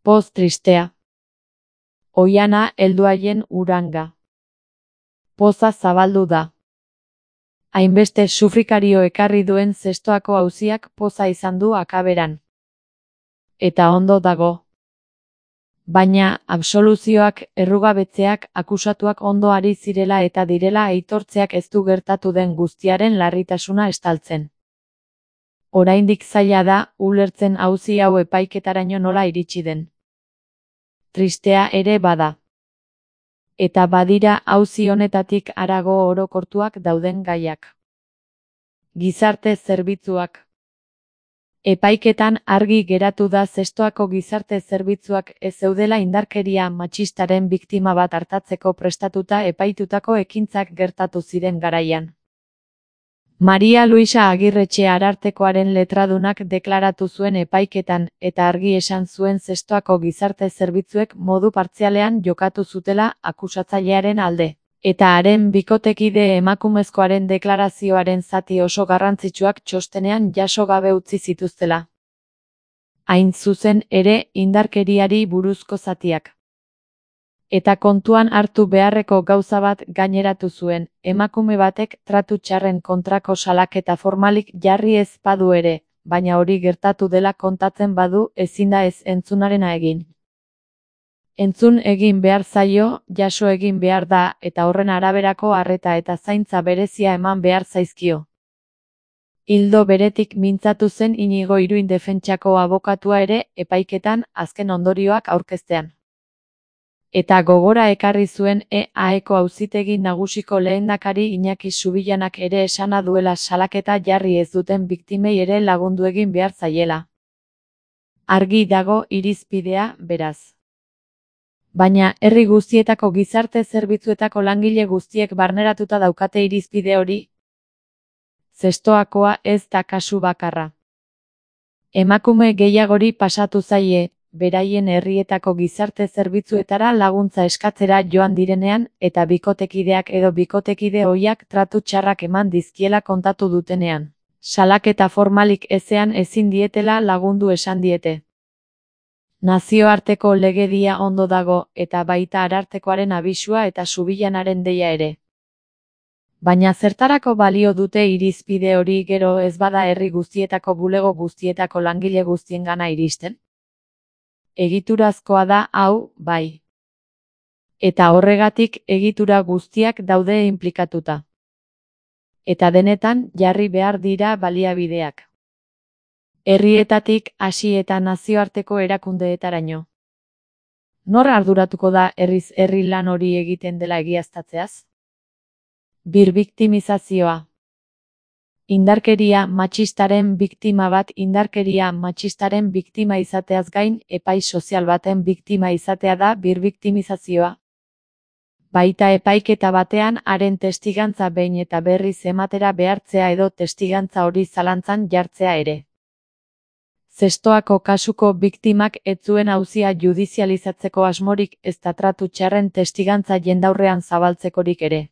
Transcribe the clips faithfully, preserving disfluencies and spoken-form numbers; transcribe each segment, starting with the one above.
Poz tristea. Oiana heldu haien uranga. Poza zabaldu da. Hainbeste sufrikario ekarri duen zestoako auziak poza izan du akaberan. Eta ondo dago. Baina, absoluzioak, errugabetzeak, akusatuak ondo ari zirela eta direla aitortzeak ez du gertatu den guztiaren larritasuna estaltzen. Oraindik zaila da, ulertzen auzi hau epaiketaraino nola iritsi den. Tristea ere bada. Eta badira auzi honetatik harago orokortuak dauden gaiak. Gizarte zerbitzuak. Epaiketan argi geratu da zestoako gizarte zerbitzuak ez zeudela indarkeria matxistaren biktima bat artatzeko prestatuta epaitutako ekintzak gertatu ziren garaian. Maria Luisa Agirretxe Arartekoaren letradunak deklaratu zuen epaiketan eta argi esan zuen zestoako gizarte zerbitzuek modu partzialean jokatu zutela akusatzailearen alde. Eta haren bikotekide emakumezkoaren deklarazioaren zati oso garrantzitsuak txostenean jaso gabe utzi zituztela. Hain zuzen ere indarkeriari buruzko zatiak. Eta kontuan hartu beharreko gauza bat gaineratu zuen, emakume batek tratu txarren kontrako salaketa formalik jarri ez badu ere, baina hori gertatu dela kontatzen badu ezin da ez entzunarena egin. Entzun egin behar zaio, jaso egin behar da, eta horren araberako arreta eta zaintza berezia eman behar zaizkio. Ildo beretik mintzatu zen Inigo Iruin defentsako abokatua ere, epaiketan, azken ondorioak aurkeztean. Eta gogora ekarri zuen E A Eko auzitegi nagusiko lehendakari Iñaki Subillanak ere esana duela salaketa jarri ez duten biktimei ere lagundu egin behar zaiela. Argi dago irizpidea, beraz. Baina, herri guztietako gizarte zerbitzuetako langile guztiek barneratuta daukate irizpide hori. Zestoakoa ez da kasu bakarra. Emakume gehiagori pasatu zaie, beraien herrietako gizarte zerbitzuetara laguntza eskatzera joan direnean, eta bikotekideak edo bikotekide ohiak tratu txarrak eman dizkiela kontatu dutenean. Salaketa formalik ezean ezin dietela lagundu esan diete. Nazioarteko legedia ondo dago, eta baita Arartekoaren abisua eta Subillanaren deia ere. Baina zertarako balio dute irizpide hori gero ez bada herri guztietako bulego guztietako langile guztiengana iristen? Egiturazkoa da hau, bai. Eta horregatik egitura guztiak daude inplikatuta. Eta denetan jarri behar dira baliabideak. Herrietatik hasi eta nazioarteko erakundeetaraino. Nor arduratuko da herriz herri lan hori egiten dela egiaztatzeaz? Birbiktimizazioa. Indarkeria matxistaren biktima bat indarkeria matxistaren biktima izateaz gain, epai sozial baten biktima izatea da birbiktimizazioa. Baita epaiketa batean haren testigantza behin eta berriz ematera behartzea edo testigantza hori zalantzan jartzea ere. Zestoako kasuko biktimak ez zuen auzia judizializatzeko asmorik ezta tratu txarren testigantza jendaurrean zabaltzekorik ere.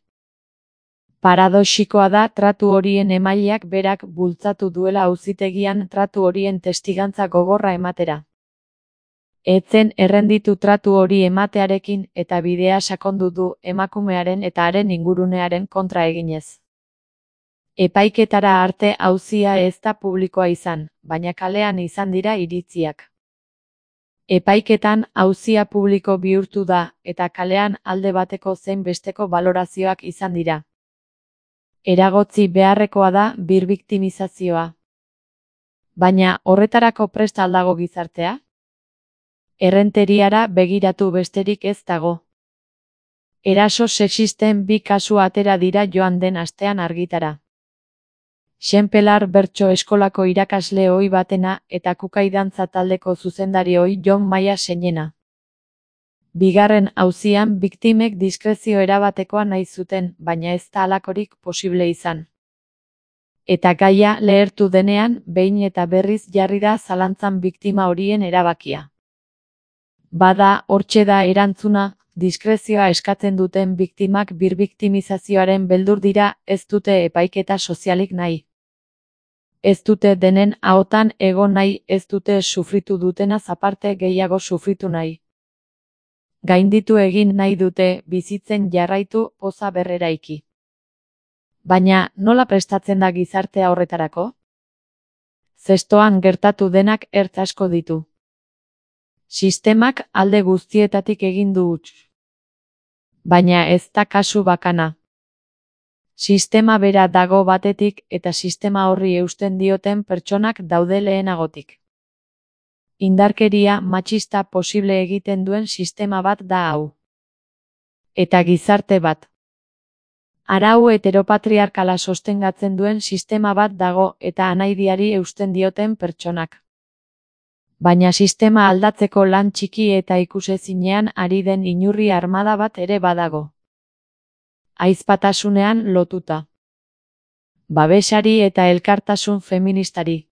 Paradoxikoa da tratu horien emaileak berak bultzatu duela auzitegian tratu horien testigantza gogorra ematera. Etzen errenditu tratu hori ematearekin eta bidea sakondu du emakumearen eta haren ingurunearen kontra eginez. Epaiketara arte auzia ez da publikoa izan, baina kalean izan dira iritziak. Epaiketan auzia publiko bihurtu da, eta kalean alde bateko zein besteko balorazioak izan dira. Eragotzi beharrekoa da birbiktimizazioa. Baina horretarako prest al dago gizartea? Errenteriara begiratu besterik ez dago. Eraso sexisten bi kasu atera dira joan den astean argitara. Xenpelar bertso eskolako irakasle ohi batena eta kukai dantza taldeko zuzendari ohi Jon Maia Seinena. Bigarren auzian biktimek diskrezio erabatekoa nahi zuten, baina ez da halakorik posible izan. Eta gaia lehertu denean, behin eta berriz jarri da zalantzan biktima horien erabakia. Bada, hortxe da erantzuna, diskrezioa eskatzen duten biktimak birbiktimizazioaren beldur dira, ez dute epaiketa sozialik nahi. Ez dute denen ahotan egon nahi, ez dute sufritu dutenaz aparte gehiago sufritu nahi. Gainditu egin nahi dute, bizitzen jarraitu, poza berreraiki. Baina, nola prestatzen da gizartea horretarako? Zestoan gertatu denak ertz asko ditu. Sistemak alde guztietatik egin du huts. Baina ez da kasu bakana. Sistema bera dago batetik eta sistema horri eusten dioten pertsonak daude lehenagotik. Indarkeria matxista posible egiten duen sistema bat da hau. Eta gizarte bat. Arau heteropatriarkala sostengatzen duen sistema bat dago eta anaidiari eusten dioten pertsonak. Baina sistema aldatzeko lan txiki eta ikusezinean ari den inurri armada bat ere badago. Ahizpatasunean lotuta. Babesari eta elkartasun feministari.